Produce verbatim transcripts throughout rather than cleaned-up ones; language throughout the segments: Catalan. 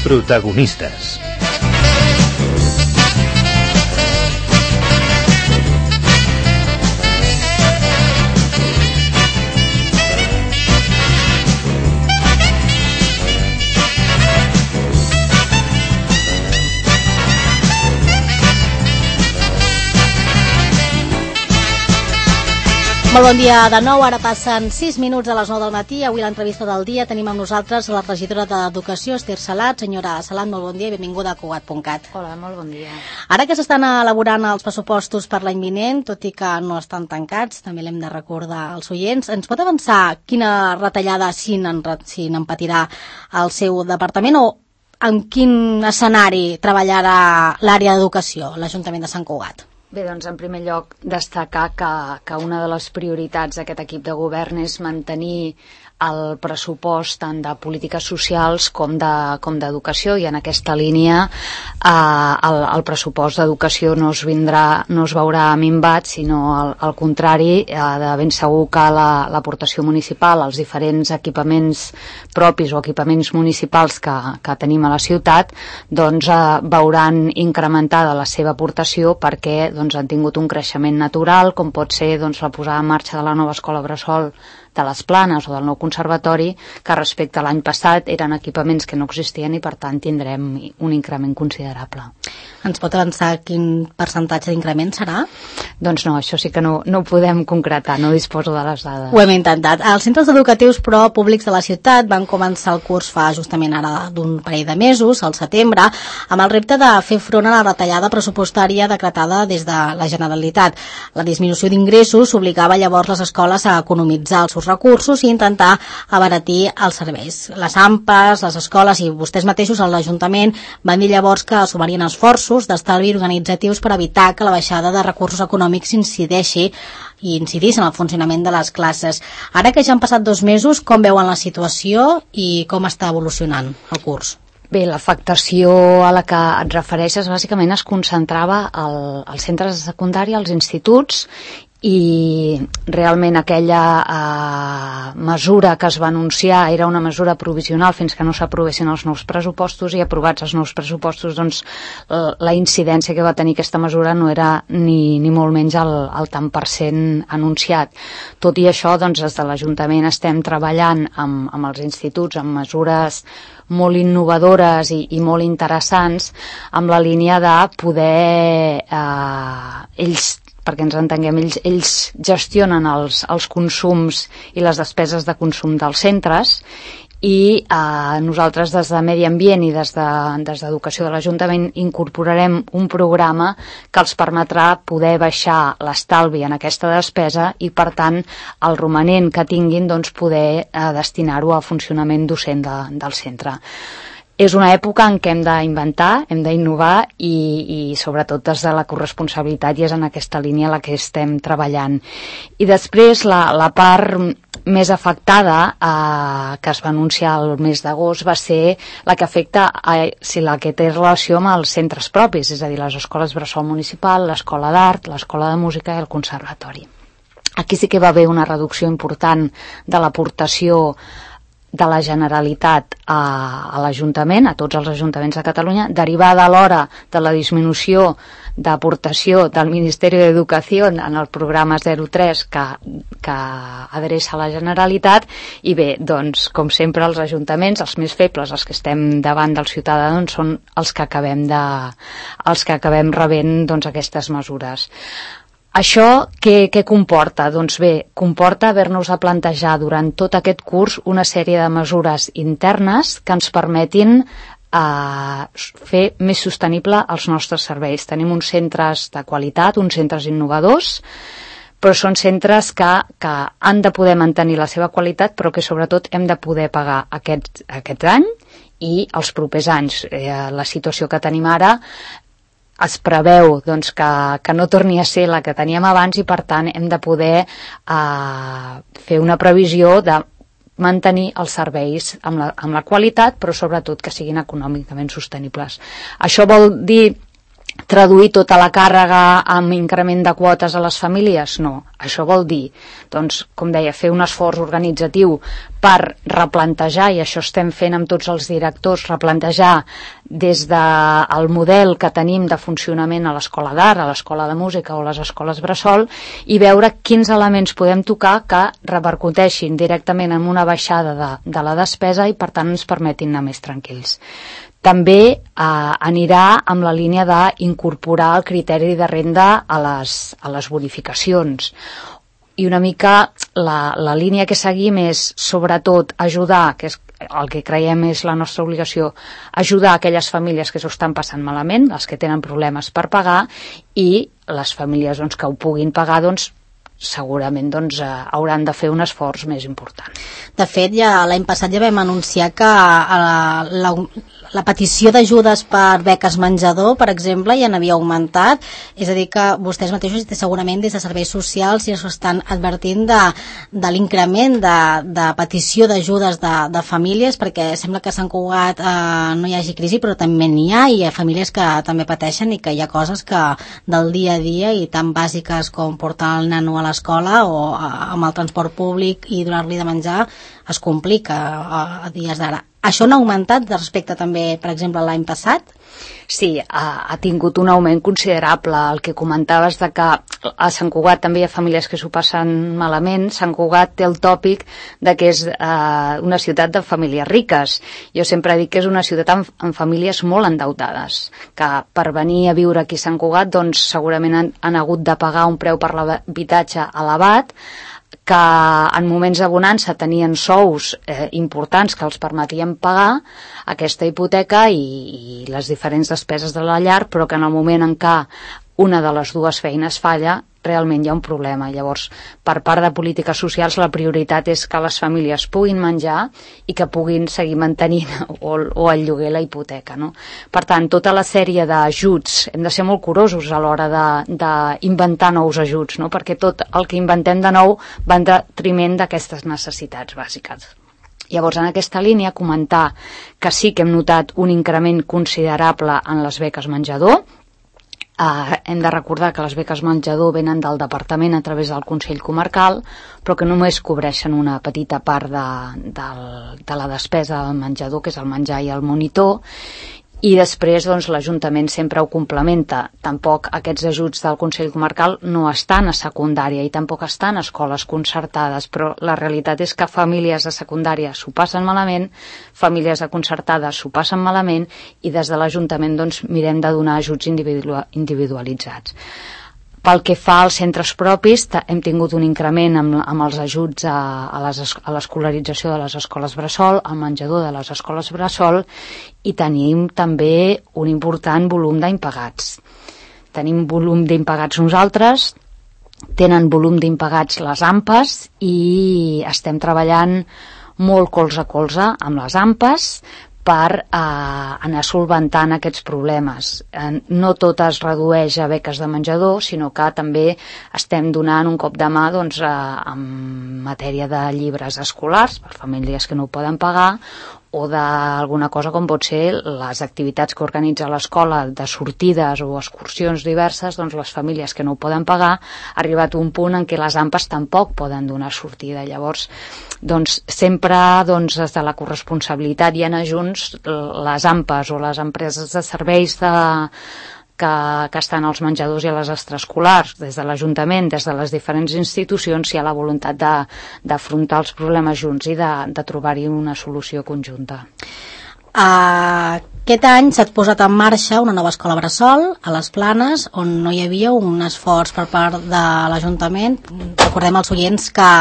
Protagonistes. Molt bon dia de nou, ara passen sis minuts de les nou del matí. Avui l'entrevista del dia tenim amb nosaltres la regidora d'Educació, Esther Salat. Senyora Salat, molt bon dia i benvinguda a Cugat punt cat. Hola, molt bon dia. Ara que s'estan elaborant els pressupostos per l'any vinent, tot i que no estan tancats, també l'hem de recordar als oients, ens pot avançar quina retallada si en patirà el seu departament o en quin escenari treballarà l'àrea d'educació, l'Ajuntament de Sant Cugat? Bé, doncs, en primer lloc, destacar que, que una de les prioritats d'aquest equip de govern és mantenir el pressupost tant de polítiques socials com de, com d'educació, i en aquesta línia eh, el, el pressupost d'educació no es vindrà, no es veurà minvat, sinó al, al contrari, eh, de ben segur que la, l'aportació municipal, els diferents equipaments propis o equipaments municipals que, que tenim a la ciutat, doncs eh, veuran incrementada la seva aportació perquè doncs, han tingut un creixement natural, com pot ser doncs, la posada en marxa de la nova escola bressol de les Planes o del nou conservatori, que respecte a l'any passat eren equipaments que no existien i per tant tindrem un increment considerable. Ens pot avançar quin percentatge d'increment serà? Doncs no, això sí que no, no ho podem concretar, no disposo de les dades. Ho hem intentat. Els centres educatius però públics de la ciutat van començar el curs fa justament ara d'un parell de mesos, al setembre, amb el repte de fer front a la retallada pressupostària decretada des de la Generalitat. La disminució d'ingressos obligava llavors les escoles a economitzar els seus recursos i intentar abaratir els serveis. Les A M P Es, les escoles i vostès mateixos a l'Ajuntament van dir llavors que sumarien esforços d'estalvi organitzatius per evitar que la baixada de recursos econòmics incideixi i incidís en el funcionament de les classes. Ara que ja han passat dos mesos, com veuen la situació i com està evolucionant el curs? Bé, l'afectació a la que et refereixes bàsicament es concentrava al, als centres de secundària, als instituts, i realment aquella eh, mesura que es va anunciar era una mesura provisional fins que no s'aprovessin els nous pressupostos, i aprovats els nous pressupostos doncs la incidència que va tenir aquesta mesura no era ni, ni molt menys el, el tant per cent anunciat. Tot i això, doncs des de l'Ajuntament estem treballant amb, amb els instituts amb mesures molt innovadores i, i molt interessants, amb la línia de poder eh, ells perquè ens entenguem, ells, ells gestionen els, els consums i les despeses de consum dels centres, i eh, nosaltres des de Medi Ambient i des, de, des d'Educació de l'Ajuntament incorporarem un programa que els permetrà poder baixar l'estalvi en aquesta despesa i, per tant, el romanent que tinguin doncs, poder eh, destinar-ho a funcionament docent de, del centre. És una època en què hem d'inventar, hem d'innovar i, i sobretot des de la corresponsabilitat, i és en aquesta línia la que estem treballant. I després la, la part més afectada eh, que es va anunciar el mes d'agost va ser la que afecta a, si la que té relació amb els centres propis, és a dir, les escoles bressol municipal, l'escola d'art, l'escola de música i el conservatori. Aquí sí que va haver una reducció important de l'aportació de la Generalitat a, a l'Ajuntament, a tots els ajuntaments de Catalunya, derivada alhora de la disminució d'aportació del Ministeri d'Educació en el programa zero tres que, que adreça a la Generalitat. I bé, doncs, com sempre, els ajuntaments, els més febles, els que estem davant dels ciutadans, són els que acabem, de, els que acabem rebent doncs, aquestes mesures. Això què, què comporta? Doncs bé, comporta haver-nos de plantejar durant tot aquest curs una sèrie de mesures internes que ens permetin eh, fer més sostenible els nostres serveis. Tenim uns centres de qualitat, uns centres innovadors, però són centres que, que han de poder mantenir la seva qualitat, però que sobretot hem de poder pagar aquest, aquest any i els propers anys. Eh, la situació que tenim ara es preveu doncs, que, que no torni a ser la que teníem abans, i per tant hem de poder eh, fer una previsió de mantenir els serveis amb la, amb la qualitat, però sobretot que siguin econòmicament sostenibles. Això vol dir traduir tota la càrrega amb increment de quotes a les famílies? No. Això vol dir, doncs, com deia, fer un esforç organitzatiu per replantejar, i això estem fent amb tots els directors, replantejar des del model que tenim de funcionament a l'escola d'art, a l'escola de música o a les escoles bressol, i veure quins elements podem tocar que repercuteixin directament en una baixada de, de la despesa i, per tant, ens permetin anar més tranquils. També eh, anirà amb la línia d'incorporar el criteri de renda a les, a les bonificacions. I una mica la, la línia que seguim és, sobretot, ajudar, que és el que creiem és la nostra obligació, ajudar aquelles famílies que s'ho estan passant malament, les que tenen problemes per pagar, i les famílies doncs, que ho puguin pagar, doncs, segurament doncs, eh, hauran de fer un esforç més important. De fet, ja l'any passat ja vam anunciar que la, la, la petició d'ajudes per beques menjador, per exemple, ja n'havia augmentat, és a dir que vostès mateixos segurament des de serveis socials ja s'estan advertint de, de l'increment de, de petició d'ajudes de, de famílies, perquè sembla que a Sant Cugat eh, no hi hagi crisi, però també n'hi ha, i hi ha famílies que també pateixen i que hi ha coses que del dia a dia i tan bàsiques com portar el nano a l'escola o amb el transport públic i donar-li de menjar es complica a, a dies d'ara. Això no ha augmentat respecte també, per exemple, l'any passat? Sí, ha, ha tingut un augment considerable. El que comentaves de que a Sant Cugat també hi ha famílies que s'ho passen malament. Sant Cugat té el tòpic de que és eh, una ciutat de famílies riques. Jo sempre dic que és una ciutat amb, amb famílies molt endeutades, que per venir a viure aquí a Sant Cugat doncs, segurament han, han hagut de pagar un preu per l'habitatge elevat, que en moments de bonança tenien sous eh, importants que els permetien pagar aquesta hipoteca i, i les diferents despeses de la llar, però que en el moment en què una de les dues feines falla, realment hi ha un problema. Llavors, per part de polítiques socials, la prioritat és que les famílies puguin menjar i que puguin seguir mantenint o, o el lloguer la hipoteca, no? Per tant, tota la sèrie d'ajuts, hem de ser molt curosos a l'hora d'inventar nous ajuts, no? Perquè tot el que inventem de nou va en detriment d'aquestes necessitats bàsiques. Llavors, en aquesta línia, comentar que sí que hem notat un increment considerable en les beques menjador. Uh, hem de recordar que les beques menjador venen del departament a través del Consell Comarcal, però que només cobreixen una petita part de, de, de la despesa del menjador, que és el menjar i el monitor, i després doncs, l'Ajuntament sempre ho complementa. Tampoc aquests ajuts del Consell Comarcal no estan a secundària i tampoc estan a escoles concertades, però la realitat és que famílies de secundària s'ho passen malament, famílies de concertada s'ho passen malament, i des de l'Ajuntament doncs, mirem de donar ajuts individualitzats. Pel que fa als centres propis, hem tingut un increment amb, amb els ajuts a, a l'escolarització de les escoles bressol, al menjador de les escoles bressol, i tenim també un important volum d'impagats. Tenim volum d'impagats nosaltres, tenen volum d'impagats les A M P Es, i estem treballant molt colze a colze amb les A M P Es, per eh, anar solventant aquests problemes. Eh, no tot es redueix a beques de menjador, sinó que també estem donant un cop de mà doncs, eh, en matèria de llibres escolars per famílies que no ho poden pagar, o d'alguna cosa com pot ser les activitats que organitza l'escola de sortides o excursions diverses, doncs les famílies que no ho poden pagar, ha arribat un punt en què les A M P Es tampoc poden donar sortida. Llavors, doncs, sempre doncs, des de la corresponsabilitat i anar junts, les A M P Es o les empreses de serveis de Que, que estan als menjadors i a les extraescolars, des de l'Ajuntament, des de les diferents institucions, hi ha la voluntat d'afrontar els problemes junts i de, de trobar-hi una solució conjunta. Uh, aquest any s'ha posat en marxa una nova escola bressol a les Planes, on no hi havia un esforç per part de l'Ajuntament. Recordem als oients que,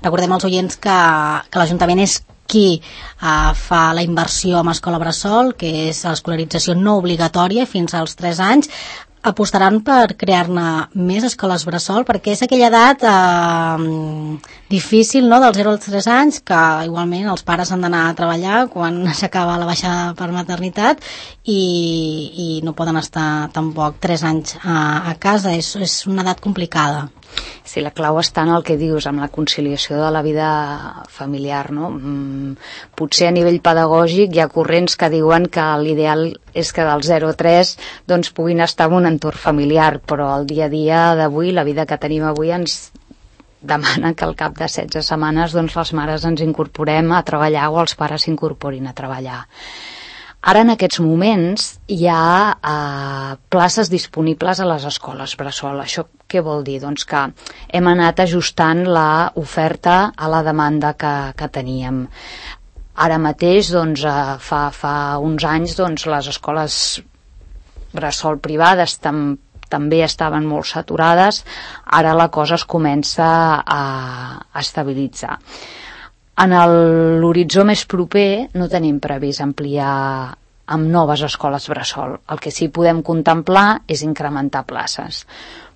recordem als oients que, que l'Ajuntament és qui uh, fa la inversió en escola bressol, que és l'escolarització no obligatòria fins als tres anys. Apostaran per crear-ne més escoles bressol, perquè és aquella edat eh, difícil, no?, dels zero als tres anys, que igualment els pares han d'anar a treballar quan s'acaba la baixada per maternitat i, i no poden estar tampoc tres anys a, a casa. És, és una edat complicada. Sí, la clau està en el que dius, amb la conciliació de la vida familiar, no? Mm, potser a nivell pedagògic hi ha corrents que diuen que l'ideal és que del zero a tres doncs, puguin estar en un entorn familiar, però el dia a dia d'avui, la vida que tenim avui ens demana que al cap de setze setmanes doncs, les mares ens incorporem a treballar o els pares s'incorporin a treballar. Ara, en aquests moments, hi ha eh, places disponibles a les escoles bressol. Això què vol dir? Doncs que hem anat ajustant l'oferta a la demanda que, que teníem. Ara mateix, doncs, eh, fa, fa uns anys, doncs, les escoles bressol privades tam, també estaven molt saturades. Ara la cosa es comença a, a estabilitzar. En l'horitzó més proper no tenim previst ampliar amb noves escoles bressol. El que sí podem contemplar és incrementar places.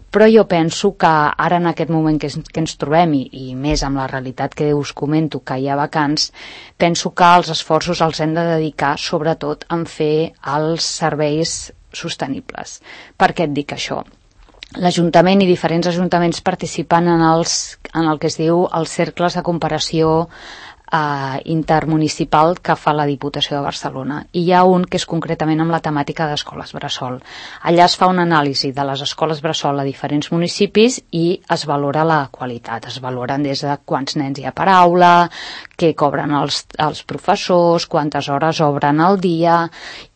Però jo penso que ara en aquest moment que, que ens trobem i, i més amb la realitat que us comento que hi ha vacants, penso que els esforços els hem de dedicar sobretot en fer els serveis sostenibles. Per què et dic això? L'Ajuntament i diferents ajuntaments participen en, els, en el que es diu els cercles de comparació eh, intermunicipal que fa la Diputació de Barcelona. I hi ha un que és concretament amb la temàtica d'escoles bressol. Allà es fa una anàlisi de les escoles bressol a diferents municipis i es valora la qualitat. Es valoren des de quants nens hi ha per aula, què cobren els, els professors, quantes hores obren al dia,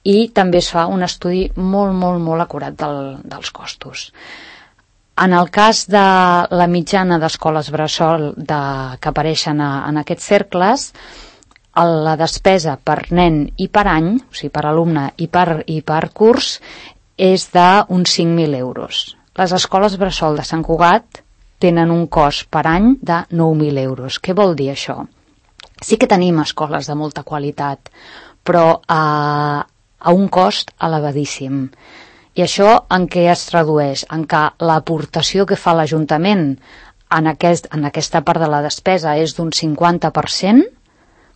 i també es fa un estudi molt, molt, molt acurat del, dels costos. En el cas de la mitjana d'escoles bressol de, que apareixen a, en aquests cercles, la despesa per nen i per any, o sigui, per alumne i per, i per curs, és d'uns cinc mil euros. Les escoles bressol de Sant Cugat tenen un cost per any de nou mil euros. Què vol dir això? Sí que tenim escoles de molta qualitat, però a, a un cost elevadíssim. I això en què es tradueix? En què l'aportació que fa l'Ajuntament en, aquest, en aquesta part de la despesa és d'un cinquanta per cent,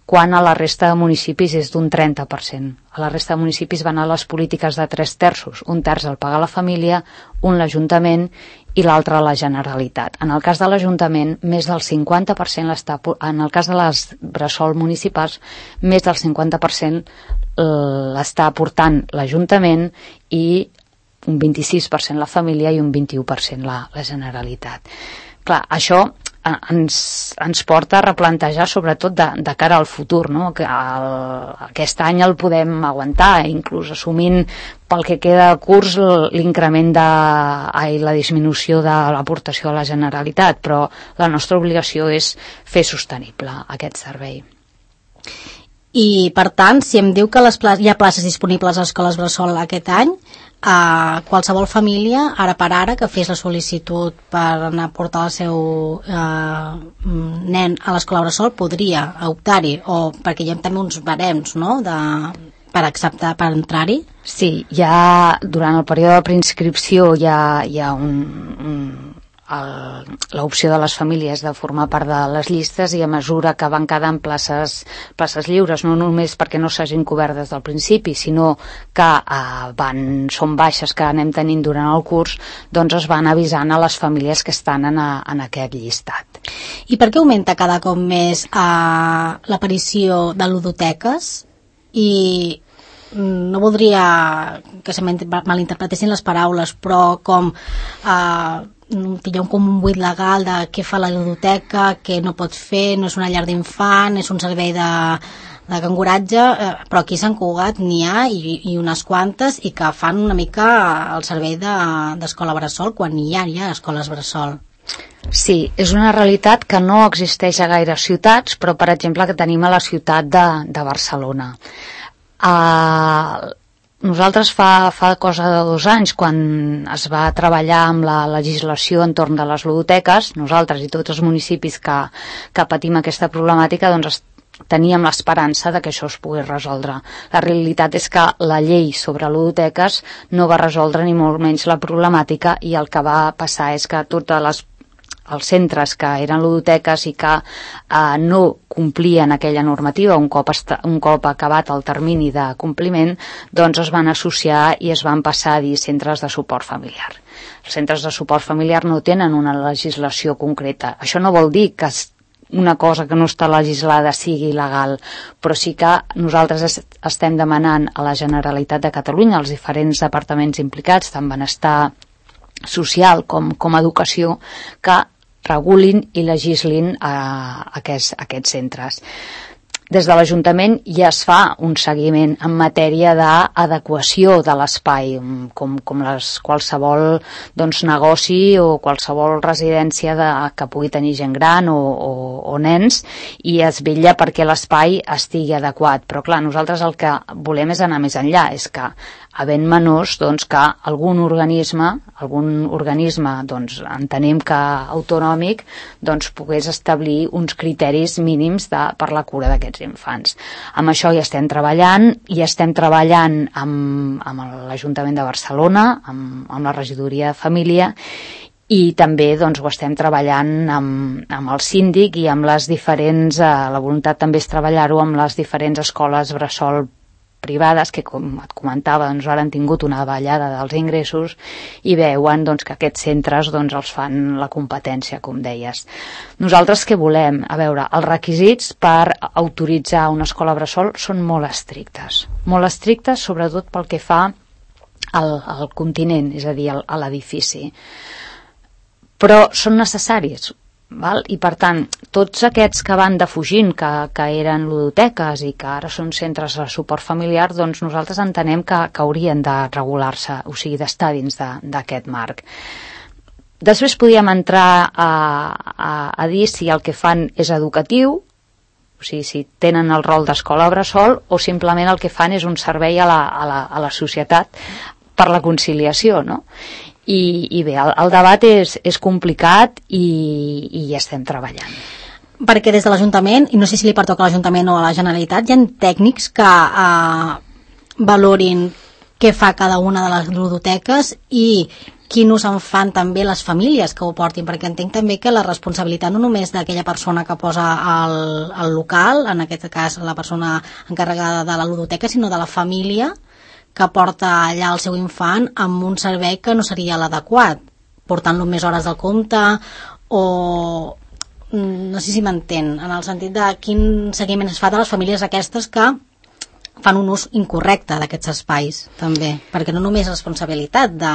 quan a la resta de municipis és d'un trenta per cent. A la resta de municipis van a les polítiques de tres terços. Un terç el paga la família, un l'Ajuntament i l'altre la Generalitat. En el cas de l'Ajuntament, més del cinquanta per cent l'està, en el cas de les bressol municipals, més del cinquanta per cent l'està aportant l'Ajuntament i un vint-i-sis per cent la família i un vint-i-u per cent la, la Generalitat. Clar, això ens, ens porta a replantejar sobretot de, de cara al futur, no? Que el, aquest any el podem aguantar, inclús assumint pel que queda de curs l'increment de ai, la disminució de l'aportació a la Generalitat, però la nostra obligació és fer sostenible aquest servei. I, per tant, si em diu que les pla- hi ha places disponibles a escoles bressol aquest any, a qualsevol família, ara per ara, que fes la sol·licitud per anar a portar el seu eh, nen a l'escola bressol, podria optar-hi, o perquè hi ha també uns barems, no?, de, per acceptar, per entrar-hi? Sí, hi ha, durant el període de preinscripció hi ha, hi ha un... un l'opció de les famílies de formar part de les llistes, i a mesura que van quedant places, places lliures, no només perquè no s'hagin cobert des del principi, sinó que eh, van, són baixes que anem tenint durant el curs, doncs es van avisant a les famílies que estan en, a, en aquest llistat. I per què augmenta cada cop més eh, l'aparició de ludoteques? I no voldria que se malinterpretessin les paraules, però com eh, hi ha com un buit legal de què fa la ludoteca, què no pot fer, no és una llar d'infant, és un servei de, de canguratge, eh, però aquí a Sant Cugat n'hi ha i, i unes quantes, i que fan una mica el servei de, d'escola bressol quan hi ha, hi ha escoles bressol. Sí, és una realitat que no existeix a gaire ciutats, però per exemple que tenim a la ciutat de, de Barcelona. Uh, nosaltres fa, fa cosa de dos anys, quan es va treballar amb la legislació entorn de les ludoteques, nosaltres i tots els municipis que, que patim aquesta problemàtica, doncs teníem l'esperança de que això es pogués resoldre. La realitat és que la llei sobre ludoteques no va resoldre ni molt menys la problemàtica, i el que va passar és que totes les els centres que eren ludoteques i que eh, no complien aquella normativa un cop, esta, un cop acabat el termini de compliment, doncs es van associar i es van passar a dir centres de suport familiar. els centres de suport familiar no tenen una legislació concreta. Això no vol dir que una cosa que no està legislada sigui il·legal, però sí que nosaltres estem demanant a la Generalitat de Catalunya, als diferents departaments implicats, tant benestar social com, com educació, que regulin i legislin a aquests, a aquests centres. Des de l'Ajuntament ja es fa un seguiment en matèria d'adequació de l'espai, com, com les, qualsevol doncs, negoci o qualsevol residència de, que pugui tenir gent gran o, o, o nens, i es vetlla perquè l'espai estigui adequat. Però clar, nosaltres el que volem és anar més enllà, és que havent menors, doncs, que algun organisme, algun organisme, doncs, entenem que autonòmic, doncs, pogués establir uns criteris mínims de, per la cura d'aquests infants. Amb això hi estem treballant, i estem treballant amb, amb l'Ajuntament de Barcelona, amb, amb la regidoria de família, i també doncs, ho estem treballant amb, amb el síndic i amb les diferents, eh, la voluntat també és treballar-ho amb les diferents escoles bressol privades, que com et comentava, doncs ara han tingut una davallada dels ingressos i veuen doncs, que aquests centres doncs, els fan la competència, com deies. Nosaltres què volem? A veure, els requisits per autoritzar una escola bressol són molt estrictes. Molt estrictes, sobretot pel que fa al, al continent, és a dir, al, a l'edifici. Però són necessaris. Val? I per tant, tots aquests que van defugint, que, que eren ludoteques i que ara són centres de suport familiar, doncs nosaltres entenem que, que haurien de regular-se, o sigui, d'estar dins d'aquest marc. Després podíem entrar a, a, a dir si el que fan és educatiu, o sigui, si tenen el rol d'escola bressol, o simplement el que fan és un servei a la, a la, a la societat per la conciliació, no? I, i bé, el, el debat és, és complicat i, i hi estem treballant. Perquè des de l'Ajuntament, i no sé si li pertoca a l'Ajuntament o a la Generalitat, hi ha tècnics que eh, valorin què fa cada una de les ludoteques i quin ús en fan també les famílies que ho portin, perquè entenc també que la responsabilitat no només d'aquella persona que posa el, el local, en aquest cas la persona encarregada de la ludoteca, sinó de la família que porta allà el seu infant amb un servei que no seria l'adequat, portant-lo més hores del compte, o no sé si m'entén, en el sentit de quin seguiment es fa de les famílies aquestes que fan un ús incorrecte d'aquests espais, també, perquè no només és responsabilitat de,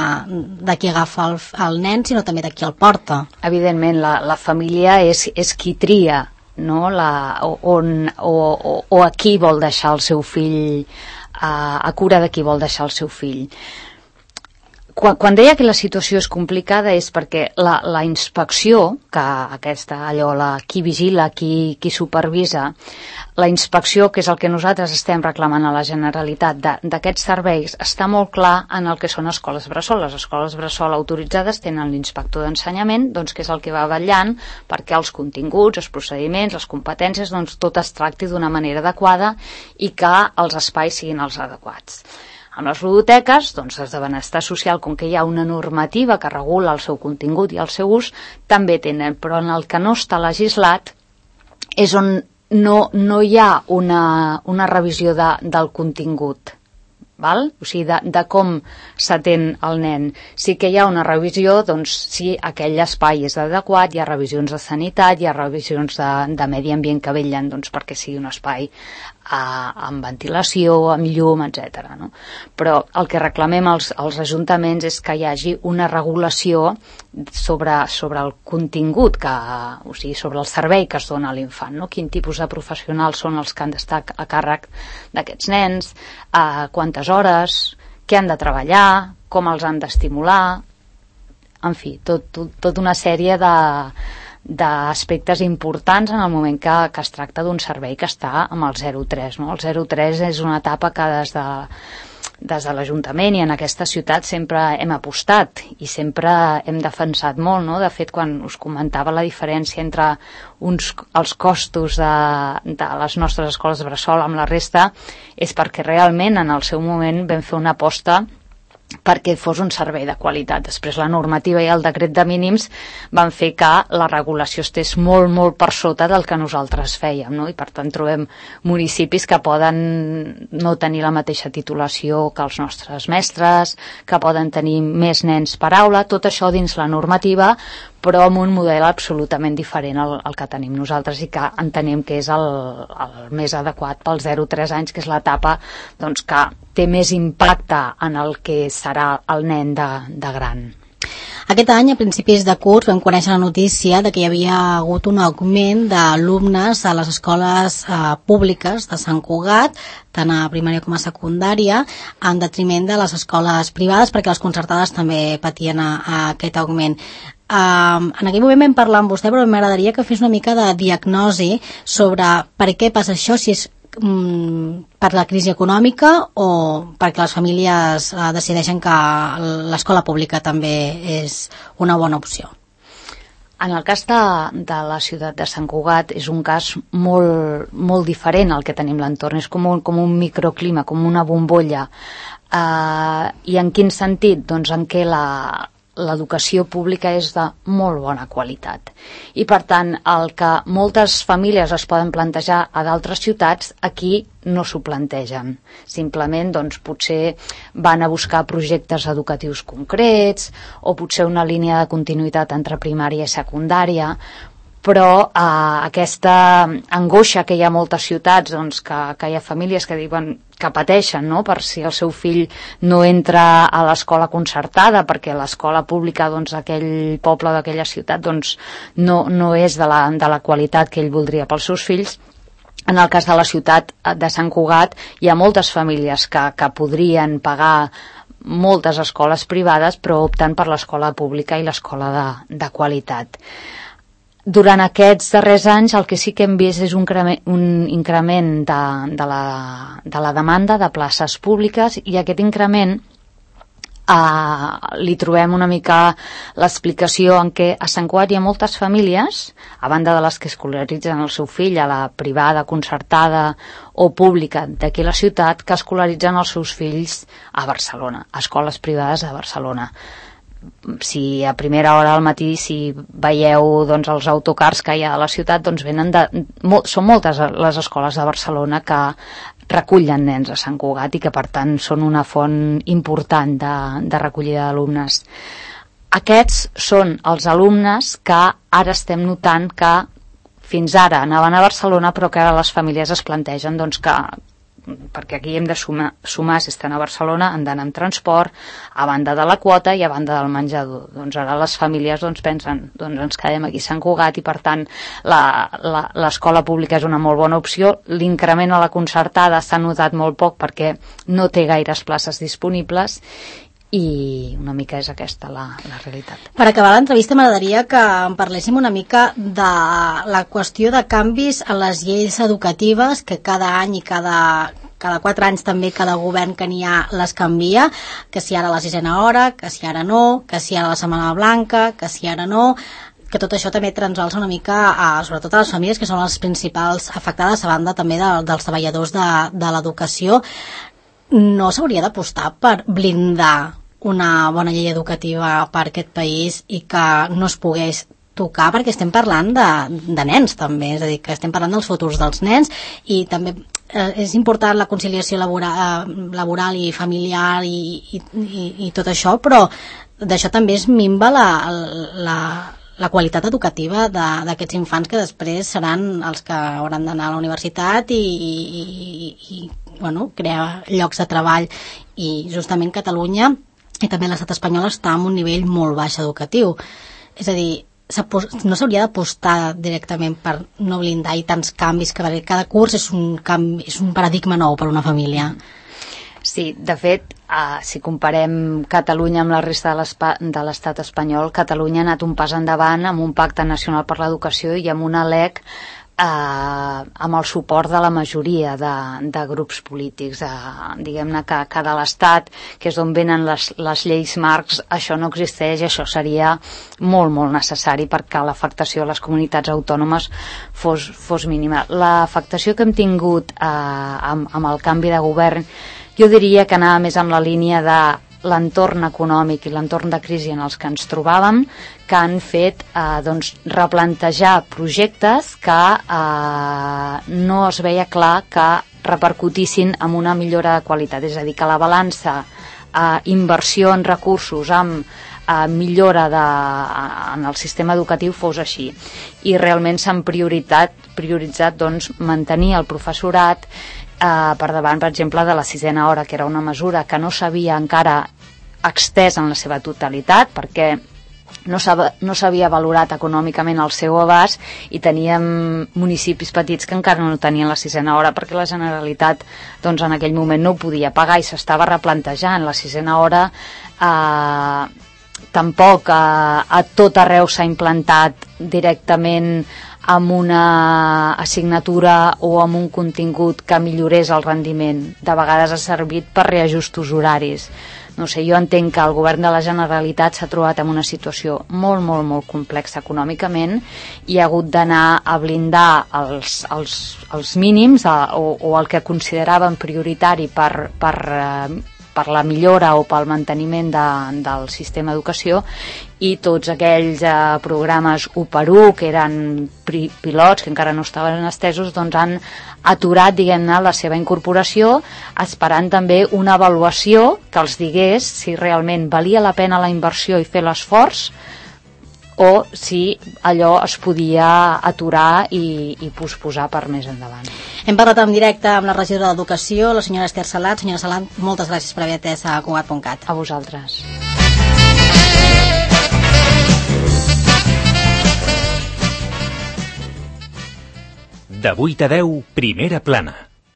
de qui agafa el, el nen, sinó també de qui el porta. Evidentment, la, la família és, és qui tria, no? la, on, o, o, o a qui vol deixar el seu fill, A, a cura de qui vol deixar el seu fill. Quan, quan deia que la situació és complicada és perquè la, la inspecció, que aquesta, allò, la, qui vigila, qui, qui supervisa, la inspecció, que és el que nosaltres estem reclamant a la Generalitat d'aquests serveis, està molt clar en el que són escoles bressol. Les escoles bressol autoritzades tenen l'inspector d'ensenyament, doncs, que és el que va vetllant perquè els continguts, els procediments, les competències, doncs, tot es tracti d'una manera adequada i que els espais siguin els adequats. Amb les ludoteques, doncs, des de benestar social, com que hi ha una normativa que regula el seu contingut i el seu ús, també tenen, però en el que no està legislat és on no, no hi ha una, una revisió de, del contingut, val? O sigui, de, de com s'atén el nen. Sí que hi ha una revisió, doncs, si aquell espai és adequat, hi ha revisions de sanitat, hi ha revisions de, de medi ambient que vetllen, doncs, perquè sigui un espai amb ventilació, amb llum, etcètera. No? Però el que reclamem als, als ajuntaments és que hi hagi una regulació sobre, sobre el contingut, que, o sigui, sobre el servei que es dona a l'infant, no? Quin tipus de professionals són els que han d'estar a càrrec d'aquests nens, a quantes hores, què han de treballar, com els han d'estimular, en fi, tot, tot, tot una sèrie de d'aspectes importants en el moment que, que es tracta d'un servei que està amb el zero tres. No? El zero tres és una etapa que des de, des de l'Ajuntament i en aquesta ciutat sempre hem apostat i sempre hem defensat molt. No? De fet, quan us comentava la diferència entre uns, els costos de, de les nostres escoles bressol amb la resta, és perquè realment en el seu moment vam fer una aposta perquè fos un servei de qualitat. Després la normativa i el decret de mínims van fer que la regulació estés molt, molt per sota del que nosaltres fèiem, no? I per tant trobem municipis que poden no tenir la mateixa titulació que els nostres mestres, que poden tenir més nens per aula, tot això dins la normativa, però amb un model absolutament diferent al, al que tenim nosaltres i que entenem que és el, el més adequat pel zero a tres anys, que és l'etapa doncs, que té més impacte en el que serà el nen de, de gran. Aquest any, a principis de curs, vam conèixer la notícia de que hi havia hagut un augment d'alumnes a les escoles eh, públiques de Sant Cugat, tant a primària com a secundària, en detriment de les escoles privades, perquè les concertades també patien a, a aquest augment. Uh, en aquell moment vam parlar amb vostè, però m'agradaria que fes una mica de diagnosi sobre per què passa això, si és um, per la crisi econòmica o perquè les famílies uh, decideixen que l'escola pública també és una bona opció. En el cas de, de la ciutat de Sant Cugat és un cas molt, molt diferent al que tenim a l'entorn, és com un, com un microclima, com una bombolla. Uh, I en quin sentit? Doncs en què la l'educació pública és de molt bona qualitat. I per tant, el que moltes famílies es poden plantejar a d'altres ciutats, aquí no s'ho plantegen. Simplement, doncs, potser van a buscar projectes educatius concrets o potser una línia de continuïtat entre primària i secundària, però eh, aquesta angoixa que hi ha a moltes ciutats, doncs, que, que hi ha famílies que diuen que pateixen, no?, per si el seu fill no entra a l'escola concertada perquè l'escola pública doncs, d'aquell poble, d'aquella ciutat, doncs, no, no és de la, de la qualitat que ell voldria pels seus fills. En el cas de la ciutat de Sant Cugat hi ha moltes famílies que, que podrien pagar moltes escoles privades però opten per l'escola pública i l'escola de, de qualitat. Durant aquests darrers anys el que sí que hem vist és un, un increment de, de, la, de la demanda de places públiques i aquest increment eh, li trobem una mica l'explicació en què a Sant Cugat hi ha moltes famílies, a banda de les que escolaritzen el seu fill a la privada, concertada o pública d'aquí la ciutat, que escolaritzen els seus fills a Barcelona, a escoles privades de Barcelona. Si a primera hora al matí si veieu doncs, els autocars que hi ha a la ciutat, doncs venen de, molt, són moltes les escoles de Barcelona que recullen nens a Sant Cugat i que per tant són una font important de, de recollida d'alumnes. Aquests són els alumnes que ara estem notant que fins ara anaven a Barcelona però que ara les famílies es plantegen doncs, que perquè aquí hem de sumar, sumar si estan a Barcelona, han d'anar amb transport, a banda de la quota i a banda del menjador. Doncs ara les famílies doncs, pensen, doncs ens quedem aquí a Sant Cugat i per tant l'escola pública és una molt bona opció. L'increment a la concertada s'ha notat molt poc perquè no té gaires places disponibles i una mica és aquesta la, la realitat. Per acabar l'entrevista m'agradaria que en parléssim una mica de la qüestió de canvis a les lleis educatives que cada any i cada, cada quatre anys també cada govern que n'hi ha les canvia, que si ara la sisena hora, que si ara no, que si ara la setmana blanca, que si ara no, que tot això també transalça una mica a, sobretot a les famílies que són les principals afectades a banda també de, dels treballadors de, de l'educació. No s'hauria d'apostar per blindar una bona llei educativa per aquest país i que no es pogués tocar, perquè estem parlant de, de nens també, és a dir, que estem parlant dels futurs dels nens i també eh, és important la conciliació laboral, laboral i familiar i, i, i, i tot això, però d'això també es minva la, la, la qualitat educativa d'aquests infants que després seran els que hauran d'anar a la universitat i, i, i, i bueno, crear llocs de treball i justament Catalunya i també l'estat espanyol està en un nivell molt baix educatiu. És a dir, no s'hauria d'apostar directament per no blindar i tants canvis, que cada curs és un, canvi, és un paradigma nou per una família. Sí, de fet, eh, si comparem Catalunya amb la resta de l'estat espanyol, Catalunya ha anat un pas endavant amb un pacte nacional per l'educació i amb una L E C Eh, amb el suport de la majoria de, de grups polítics, eh, diguem-ne que, que de l'Estat, que és on venen les, les lleis marcs, això no existeix i això seria molt, molt necessari perquè l'afectació a les comunitats autònomes fos, fos mínima. L'afectació que hem tingut eh, amb, amb el canvi de govern, jo diria que anava més amb la línia de l'entorn econòmic i l'entorn de crisi en els que ens trobàvem, que han fet eh, doncs, replantejar projectes que eh, no es veia clar que repercutissin en una millora de qualitat, és a dir, que la balança eh, inversió en recursos amb eh, millora de, en el sistema educatiu fos així, i realment s'han prioritzat, prioritzat doncs, mantenir el professorat eh, per davant, per exemple, de la sisena hora, que era una mesura que no s'havia encara extès en la seva totalitat, perquè no s'havia valorat econòmicament el seu abast, i teníem municipis petits que encara no tenien la sisena hora perquè la Generalitat doncs, en aquell moment no ho podia pagar i s'estava replantejant. La sisena hora eh, tampoc eh, a tot arreu s'ha implantat directament amb una assignatura o amb un contingut que millorés el rendiment. De vegades ha servit per reajustos horaris. No sé, jo entenc que el govern de la Generalitat s'ha trobat en una situació molt, molt, molt complexa econòmicament i ha hagut d'anar a blindar els, els, els mínims a, o, o el que consideraven prioritari per, per, per la millora o pel manteniment de, del sistema d'educació, i tots aquells eh, programes u per u que eren pri, pilots, que encara no estaven estesos, doncs han aturat, diguem-ne, la seva incorporació, esperant també una avaluació que els digués si realment valia la pena la inversió i fer l'esforç, o si allò es podia aturar i, i posposar per més endavant. Hem parlat en directe amb la regidora d'Educació, la senyora Esther Salat. Senyora Salat, moltes gràcies per haver atès a Cugat punt cat. A vosaltres. De vuit a deu, Primera Plana.